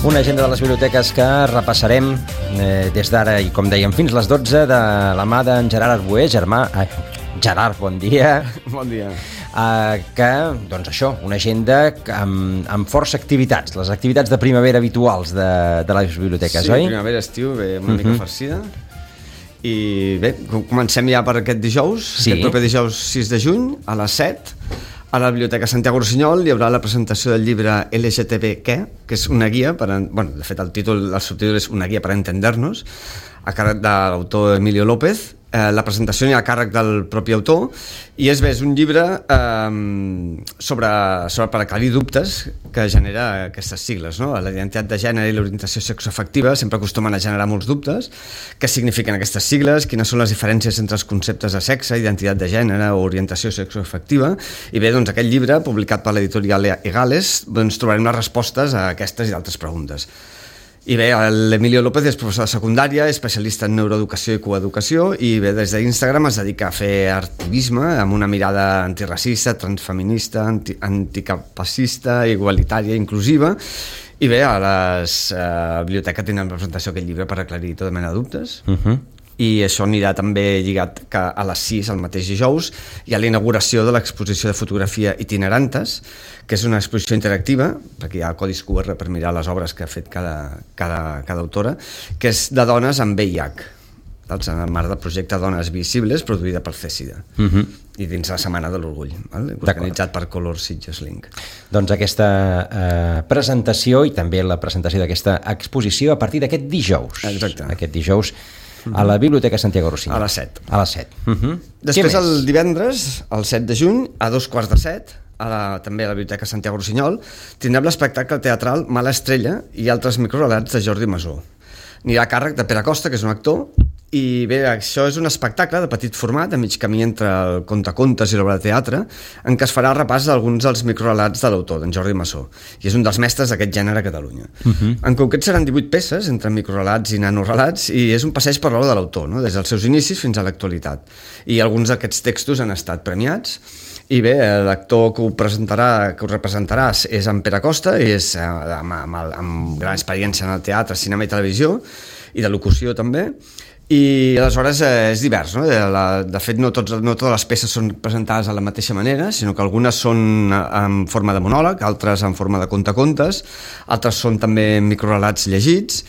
Una agenda de les biblioteques que repassarem des d'ara i, com dèiem, fins les 12 de la mà d'en Gerard Arboé. Gerard, bon dia. Bon dia. Que, doncs això, una agenda amb força activitats, les activitats de primavera habituals de les biblioteques, oi? Sí, primavera-estiu, bé, una mica farcida. I bé, comencem ja per aquest dijous, aquest proper dijous 6 de juny, a les 7, a la Biblioteca Santiago Rossinyol hi haurà la presentació del llibre LGTB Què, que és una guia de fet el subtítol és Una guia per entender-nos, a càrrec de l'autor Emilio López. La presentació hi ha a càrrec del propi autor i és un llibre sobre per aclarir dubtes que genera aquestes sigles, no? La identitat de gènere i l'orientació sexoafectiva sempre acostumen a generar molts dubtes. Què signifiquen aquestes sigles? Quines són les diferències entre els conceptes de sexe, identitat de gènere o orientació sexoafectiva? I bé, doncs aquest llibre, publicat per l'editorial Egales, doncs trobarem les respostes a aquestes i altres preguntes. I bé, l'Emilio López és professor de secundària, especialista en neuroeducació i coeducació, i bé, des d'Instagram es dedica a fer activisme amb una mirada antiracista, transfeminista, anticapacista, igualitària, inclusiva. I bé, a les biblioteques tenen presentació aquest llibre per aclarir tota mena de dubtes. I això anirà també lligat que a les 6, el mateix dijous, hi ha la inauguració de l'exposició de fotografia Itinerantes, que és una exposició interactiva, perquè hi ha codis QR per mirar les obres que ha fet cada autora, que és de dones amb VIH, en el marc del projecte Dones Visibles, produïda per CECIDA, i dins la Setmana de l'Orgull, organitzat per Color Sitges Link. Doncs aquesta presentació i també la presentació d'aquesta exposició a partir d'aquest dijous. Exacte. Aquest dijous a la Biblioteca Santiago Rossinyol. A les 7. A les 7. Després, el divendres, el 7 de juny, a 2:15, també a la Biblioteca Santiago Rossinyol, tindrem l'espectacle teatral Mala Estrella i altres microrelats de Jordi Masó. Anirà a càrrec de Pere Costa, que és un actor, i bé, això és un espectacle de petit format, a mig camí entre el contacontes i l'obra de teatre, en què es farà repàs d'alguns dels microrelats de l'autor, d'en Jordi Masó, i és un dels mestres d'aquest gènere a Catalunya. En concret seran 18 peces, entre microrelats i nanorelats, i és un passeig per l'obra de l'autor, no? Des dels seus inicis fins a l'actualitat. I alguns d'aquests textos han estat premiats, i bé, l'actor que ho representarà és en Pere Costa, i és amb gran experiència en el teatre, cinema i televisió, i de locució també. I aleshores és divers, no? De fet, no totes les peces són presentades de la mateixa manera, sinó que algunes són en forma de monòleg, altres en forma de contacontes, altres són també microrelats llegits,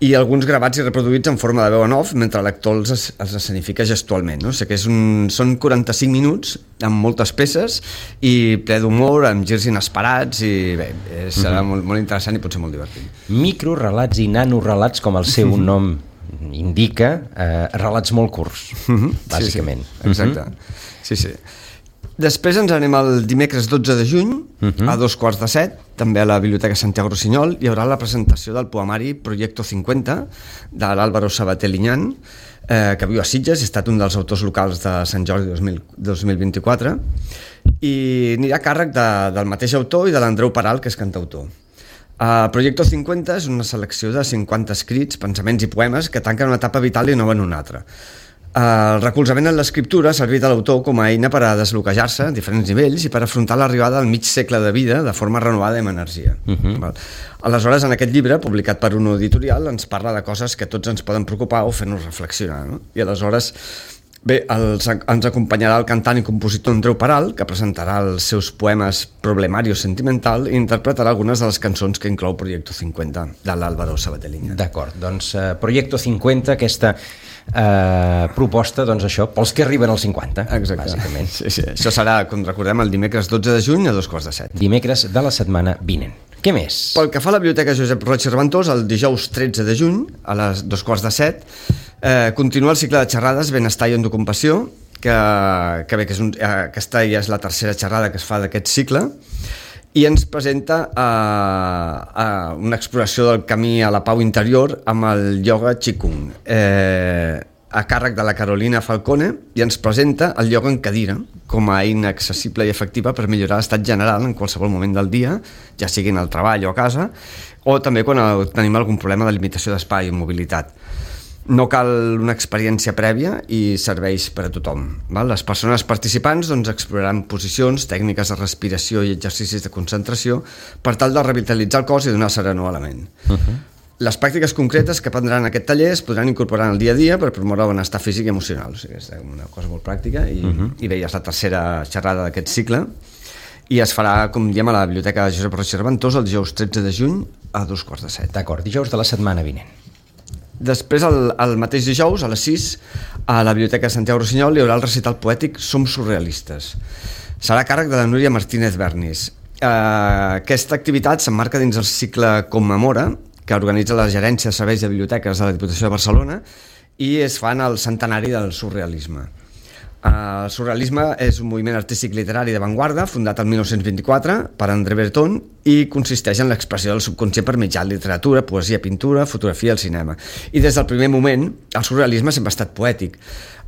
i alguns gravats i reproduïts en forma de veu en off, mentre l'actor els escenifica gestualment, no? O sigui que són 45 minuts amb moltes peces i ple d'humor, amb girs inesperats, i bé, serà molt interessant i potser molt divertit. Microrelats i nanorelats, com el seu nom indica, relats molt curts, bàsicament. Sí, exacte. Sí. Després ens anem el dimecres 12 de juny, a 2:15, també a la Biblioteca Santiago Rossinyol, hi haurà la presentació del poemari Proyecto 50, de l'Álvaro Sabater Liñán, que viu a Sitges, ha estat un dels autors locals de Sant Jordi 2024, i anirà a càrrec del mateix autor i de l'Andreu Peral, que és cantautor. Proyecto 50 és una selecció de 50 escrits, pensaments i poemes que tanquen una etapa vital i no van una altra. El recolzament en l'escriptura ha servit a l'autor com a eina per a desbloquejar-se a diferents nivells i per afrontar l'arribada al mig segle de vida de forma renovada i amb energia. Aleshores, en aquest llibre, publicat per una editorial, ens parla de coses que tots ens poden preocupar o fer-nos reflexionar, no? I aleshores, bé, ens acompanyarà el cantant i compositor Andreu Peral, que presentarà els seus poemes Problemario Sentimental i interpretarà algunes de les cançons que inclou Proyecto 50, de l'Álvaro Sabater Liñán. D'acord, doncs Proyecto 50, aquesta proposta, doncs això, pels que arriben als 50, bàsicament. Sí. Això serà, com recordem, el dimecres 12 de juny a 2:15. Dimecres de la setmana vinent. Què més? Pel que fa a la Biblioteca Josep Roig i Reventós, el dijous 13 de juny, a les 2:15, continua el cicle de xerrades Benestar i Endocompassió, que aquesta ja és la tercera xerrada que es fa d'aquest cicle, i ens presenta una exploració del camí a la pau interior amb el ioga Qigong, a càrrec de la Carolina Falcone, i ens presenta el ioga en cadira com a eina accessible i efectiva per millorar l'estat general en qualsevol moment del dia, ja sigui al treball o a casa, o també quan tenim algun problema de limitació d'espai i mobilitat. No cal una experiència prèvia i serveix per a tothom. Les persones participants exploraran posicions, tècniques de respiració i exercicis de concentració per tal de revitalitzar el cos i donar serenor a la ment. Les pràctiques concretes que prendran en aquest taller es podran incorporar en el dia a dia per promoure el benestar físic i emocional. O sigui, és una cosa molt pràctica i bé, ja és la tercera xerrada d'aquest cicle i es farà, com diem, a la Biblioteca Josep Roig i Reventós el dijous 13 de juny a 2:15. D'acord, dijous de la setmana vinent. Després, el mateix dijous, a les 6, a la Biblioteca Santiago Rossinyol hi haurà el recital poètic Som surrealistes. Serà a càrrec de la Núria Martínez Bernis. Aquesta activitat s'emmarca dins el cicle Commemora, que organitza la Gerència de Serveis de Biblioteques de la Diputació de Barcelona i es fa en el centenari del surrealisme. El surrealisme és un moviment artístic literari d'avantguarda fundat el 1924 per André Breton i consisteix en l'expressió del subconscient per mitjà de literatura, poesia, pintura, fotografia i el cinema. I des del primer moment el surrealisme sempre ha estat poètic.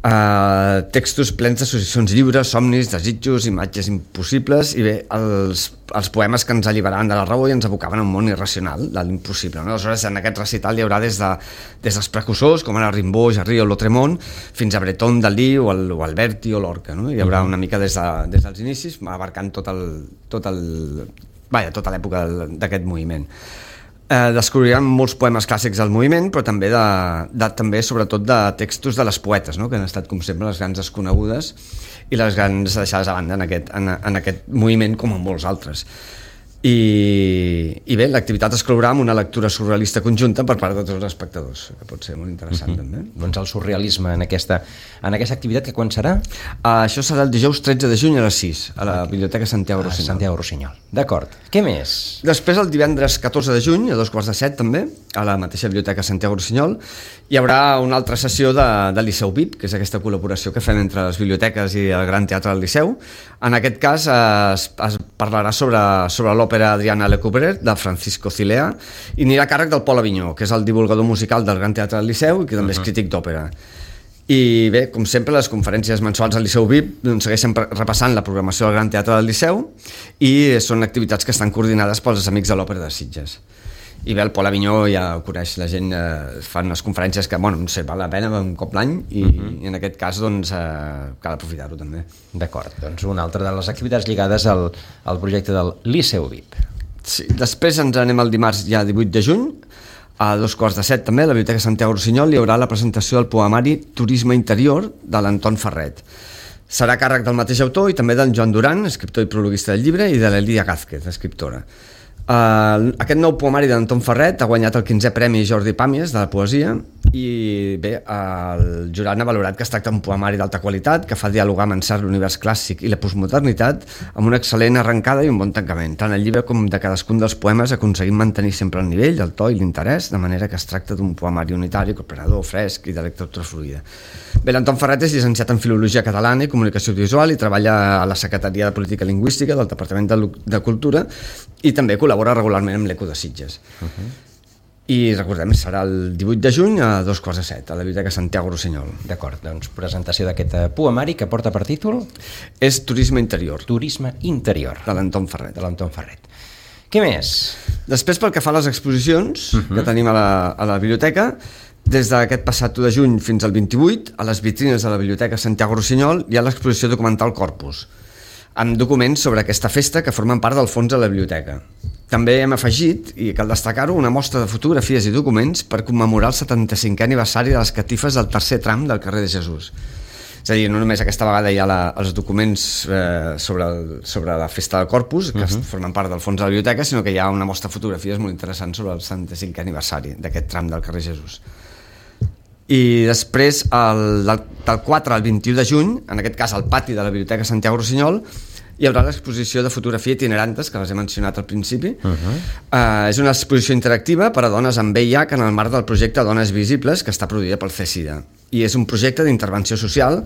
Textos plens d'associacions lliures, somnis, desitjos, imatges impossibles i bé, els poemes que ens alliberaven de la raó i ens abocaven a un món irracional, de l'impossible. Aleshores, en aquest recital hi haurà des dels precursors, com ara Rimbaud, Jarry o Lautréamont, fins a Breton, Dalí o Alberti o Lorca. Hi haurà una mica des dels inicis, abarcant tota l'època d'aquest moviment. Descobriran molts poemes clàssics del moviment, però també sobretot de textos de les poetes, que han estat com sempre les grans desconegudes i les grans deixades a banda en aquest moviment, com en molts altres. I bé, l'activitat es clourà amb una lectura surrealista conjunta per part de tots els espectadors, que pot ser molt interessant també. Doncs el surrealisme en aquesta activitat, que quan serà? Això serà el dijous 13 de juny a les 6 a la Biblioteca Santiago Rossinyol. Santiago Rossinyol, d'acord. Què més? Després, el divendres 14 de juny a 2:15 també, a la mateixa Biblioteca Santiago Rossinyol, hi haurà una altra sessió de Liceu VIP, que és aquesta col·laboració que fem entre les biblioteques i el Gran Teatre del Liceu. En aquest cas es parlarà sobre l'òpera Adriana Lecouvreur de Francisco Cilea i anirà a càrrec del Pol Avinyó, que és el divulgador musical del Gran Teatre del Liceu i que també és crític d'òpera. I bé, com sempre, les conferències mensuals del Liceu VIP segueixen repassant la programació del Gran Teatre del Liceu i són activitats que estan coordinades pels amics de l'Òpera de Sitges. I bé, el Pol Avinyó ja ho coneix la gent, fan unes conferències que, no sé, val la pena un cop l'any i en aquest cas cal aprofitar-ho també. D'acord, doncs una altra de les activitats lligades al projecte del Liceu VIP. Sí, després ens anem el dimarts ja 18 de juny, a 2:15 també, a la Biblioteca Santiago Rossinyol hi haurà la presentació del poemari Turisme Interior de l'Anton Ferret. Serà a càrrec del mateix autor i també del Joan Duran, escriptor i prologuista del llibre, i de l'Elia Gázquez, escriptora. Aquest nou poemari d'Anton Ferret ha guanyat el 15è Premi Jordi Pàmies de la poesia i bé, el jurat n'ha valorat que es tracta d'un poemari d'alta qualitat que fa dialogar amb encert l'univers clàssic i la postmodernitat amb una excel·lent arrencada i un bon tancament. Tant el llibre com de cadascun dels poemes aconseguim mantenir sempre el nivell, el to i l'interès, de manera que es tracta d'un poemari unitari, cooperador, fresc i de lectura fluida. Bé, l'Anton Ferret és llicenciat en Filologia Catalana i Comunicació Audiovisual i treballa a la Secretaria de Política Lingüística del Departament de Cultura i també col·labora regularment amb l'Eco de Sitges. I recordem, serà el 18 de juny a 2:15 a la Biblioteca Santiago Rossinyol. D'acord, doncs presentació d'aquest poemari que porta per títol? És Turisme Interior. Turisme Interior. De l'Anton Ferret. Què més? Després, pel que fa a les exposicions que tenim a la biblioteca, des d'aquest passat 1 de juny fins al 28, a les vitrines de la Biblioteca Santiago Rossinyol hi ha l'exposició documental Corpus, amb documents sobre aquesta festa que formen part del fons de la biblioteca. També hem afegit, i cal destacar-ho, una mostra de fotografies i documents per commemorar el 75è aniversari de les catifes del tercer tram del carrer de Jesús. És a dir, no només aquesta vegada hi ha els documents sobre la festa del Corpus, que formen part del fons de la biblioteca, sinó que hi ha una mostra de fotografies molt interessant sobre el 75è aniversari d'aquest tram del carrer Jesús. I després, del 4 al 21 de juny, en aquest cas al pati de la Biblioteca Santiago Rossinyol, hi haurà l'exposició de fotografia itinerantes, que les he mencionat al principi. És una exposició interactiva per a dones amb VIH en el marc del projecte Dones Visibles, que està produïda pel CSIDA. I és un projecte d'intervenció social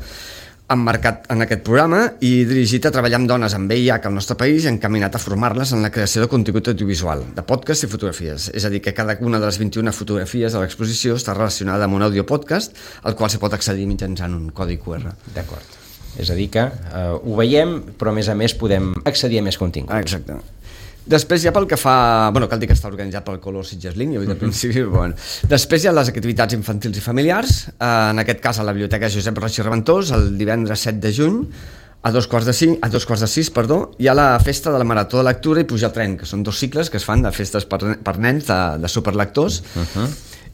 emmarcat en aquest programa i dirigit a treballar amb dones amb VIH al nostre país i encaminat a formar-les en la creació de contingut audiovisual, de podcast i fotografies. És a dir, que cada una de les 21 fotografies de l'exposició està relacionada amb un audiopodcast al qual se pot accedir mitjançant un codi QR. D'acord. És a dir que ho veiem, però a més podem accedir a més continguts. Exacte. Després ja pel que fa... Bueno, cal dir que està organitzat pel Color Sitges Link, ja ho he dit al principi. Bueno. Després hi ha les activitats infantils i familiars, en aquest cas a la Biblioteca Josep Roig i Reventós, el divendres 7 de juny, a 2:45, hi ha la festa de la Marató de Lectura i Pujar al Tren, que són 2 cicles que es fan de festes per nens, de superlectors,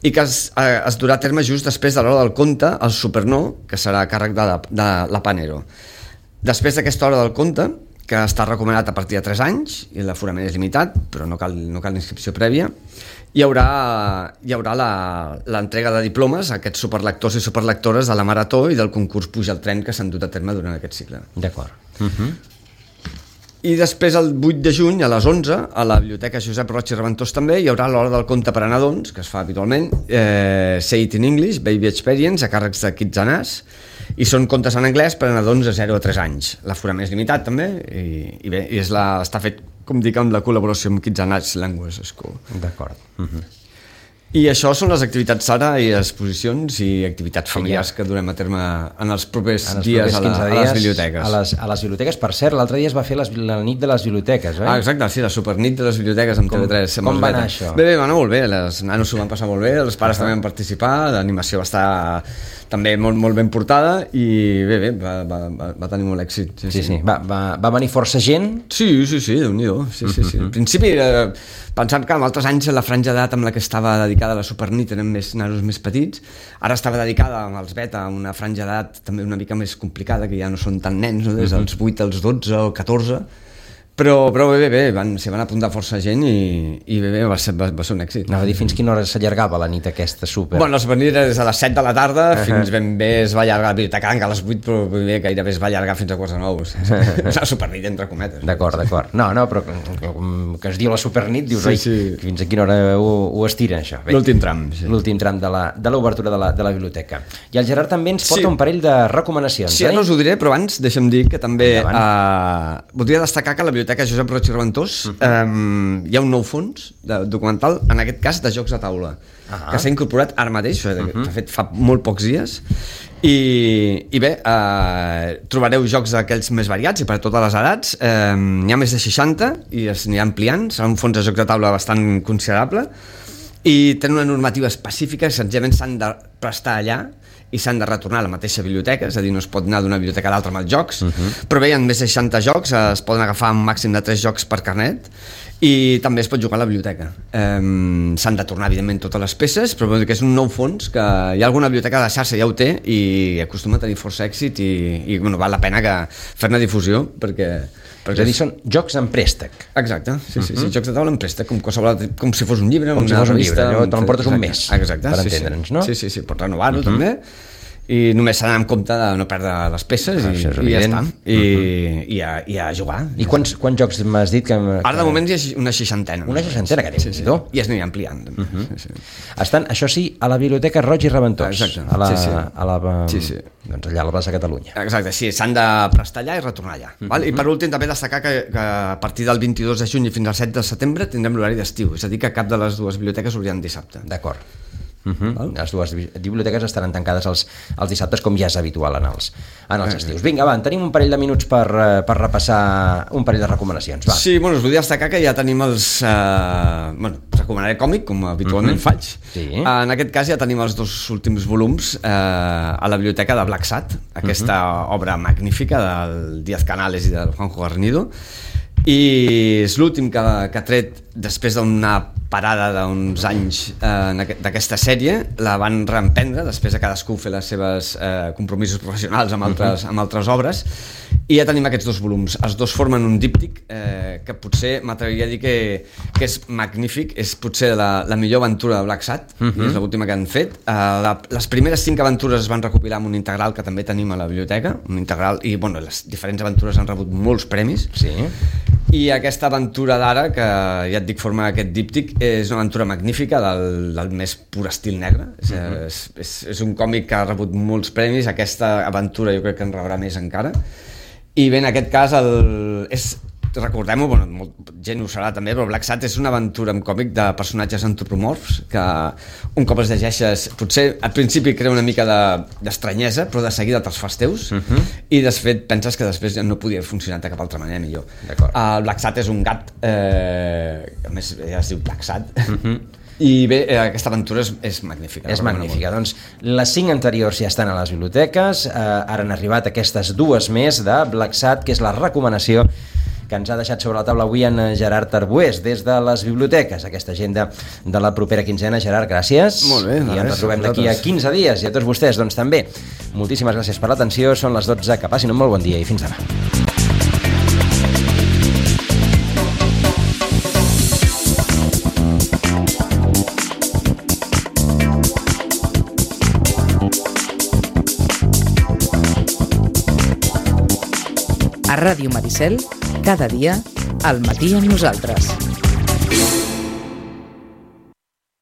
i que es durà a terme just després de l'hora del conte, el Supernó, que serà a càrrec de la Panero. Després d'aquesta hora del conte, que està recomanat a partir de 3 anys i l'aforament és limitat, però no cal inscripció prèvia, hi haurà l'entrega de diplomes a aquests superlectors i superlectores de la Marató i del concurs Puja al Tren que s'han dut a terme durant aquest cicle. D'acord. I després el 8 de juny a les 11 a la Biblioteca Josep Roig i Reventós també hi haurà l'hora del conte per a nadons, que es fa habitualment, Say It in English, Baby Experience, a càrrecs de Kids Anàs, i són contes en anglès per a nadons de 0 a 3 anys. L'aforament és limitat també i bé, està fet, com dic, amb la col·laboració amb Kids Anàs Language School. D'acord. I això són les activitats ara i exposicions i activitats familiars que durem a terme en els propers dies a les biblioteques. A les biblioteques, per cert, l'altre dia es va fer la nit de les biblioteques, oi? Exacte, sí, la supernit de les biblioteques amb TV3. Com va anar això? Bé, va anar molt bé, els nanos s'ho van passar molt bé, els pares també van participar, l'animació va estar també molt ben portada i bé, va tenir molt èxit. Sí. Va venir força gent? Sí, Déu-n'hi-do. Sí. Al principi, pensant que en altres anys la franja d'edat amb la que estava dedicada a la supernit eren més nanos més petits, ara estava dedicada als beta a una franja d'edat també una mica més complicada, que ja no són tan nens, no? Des dels 8 als 12 o 14, però bé, s'hi van apuntar força gent i bé, va ser un èxit. Anava a dir, fins quina hora s'allargava la nit aquesta super? Bueno, la supernit era des de les 7 de la tarda fins ben bé es va allargar, la biblioteca a les 8, però bé, gairebé es va allargar fins a 4:09. La supernit entre cometes. D'acord. No, però que es diu la supernit, dius, fins a quina hora ho estiren, això? L'últim tram. L'últim tram de l'obertura de la biblioteca. I el Gerard també ens porta un parell de recomanacions. Sí, no us ho diré, però abans deixa'm dir que també voldria destacar que la biblioteca Josep Roig i Reventós hi ha un nou fons documental, en aquest cas de jocs de taula, que s'ha incorporat ara mateix, de fet fa molt pocs dies, i bé, trobareu jocs d'aquells més variats i per a totes les edats. N'hi ha més de 60 i es n'hi ampliant, serà un fons de jocs de taula bastant considerable i tenen una normativa específica, senzillament s'han de prestar allà i s'han de retornar a la mateixa biblioteca, és a dir, no es pot anar d'una biblioteca a l'altra amb els jocs, però bé, hi ha més de 60 jocs, es poden agafar un màxim de 3 jocs per carnet i també es pot jugar a la biblioteca. S'han de tornar, evidentment, totes les peces, però que és un nou fons que hi ha alguna biblioteca de la xarxa ja ho té i acostuma a tenir força èxit i val la pena fer-ne difusió perquè és a dir, són jocs en préstec. Exacte, sí, jocs de taula en préstec, com si fos un llibre, com si fos un llibre, te l'emportes un mes, per entendre'ns, no? Sí, pots renovar-ho també, i només s'ha d'anar amb compte de no perdre les peces i ja està, i a jugar. I quants jocs m'has dit que... Ara de moment hi ha una 60. Una 60, que déu-n'hi-do. I es anirà ampliant. Estan, això sí, a la Biblioteca Roig i Reventós. Exacte. Doncs allà a la plaça Catalunya. Exacte, sí, s'han de prestar allà i retornar allà. I per últim també destacar que a partir del 22 de juny i fins al 7 de setembre tindrem l'horari d'estiu, és a dir que cap de les dues biblioteques obriran dissabte. D'acord. Les dues biblioteques estaran tancades els dissabtes, com ja és habitual en els estius. Vinga, va, tenim un parell de minuts per repassar un parell de recomanacions. Va. Sí, us volia destacar que ja tenim recomanaré còmic, com habitualment faig. Sí. En aquest cas ja tenim els 2 últims volums a la biblioteca de Black Sat, aquesta obra magnífica del Díaz Canales i del Juanjo Garnido, i és l'últim que ha tret després d'una parada d'uns anys d'aquesta sèrie. La van reemprendre després de cadascú fer les seves compromisos professionals amb altres obres, i ja tenim aquests 2 volums. Els 2 formen un díptic que potser m'atreviria a dir que és magnífic, és potser la millor aventura de Black Sat, i és l'última que han fet. Les primeres 5 aventures es van recopilar en un integral que també tenim a la biblioteca, un integral, i les diferents aventures han rebut molts premis. Sí. I aquesta aventura d'ara, que ja et dic forma aquest díptic, és una aventura magnífica del més pur estil negre. És un còmic que ha rebut molts premis, aquesta aventura jo crec que en rebrà més encara, i bé, en aquest cas és recordem-ho, molta gent ho serà també, però Black Sat és una aventura en còmic de personatges antropomorfs que un cop els llegeixes, potser al principi crea una mica d'estranyesa, però de seguida te'ls fas teus, i de fet penses que després ja no podia funcionar de cap altra manera millor. El Black Sat és un gat, a més ja es diu Black Sat, i bé, aquesta aventura és magnífica. És magnífica. Doncs les 5 anteriors ja estan a les biblioteques, ara han arribat aquestes 2 més de Black Sat, que és la recomanació que ens ha deixat sobre la taula avui en Gerard Arbués des de les biblioteques, aquesta agenda de la propera quinzena. Gerard, gràcies. Molt bé. I ens retrobem d'aquí a 15 dies, i a tots vostès doncs també. Moltíssimes gràcies per l'atenció, són les 12, que passin un molt bon dia i fins demà. A Ràdio Maricel, cada dia, al matí amb nosaltres.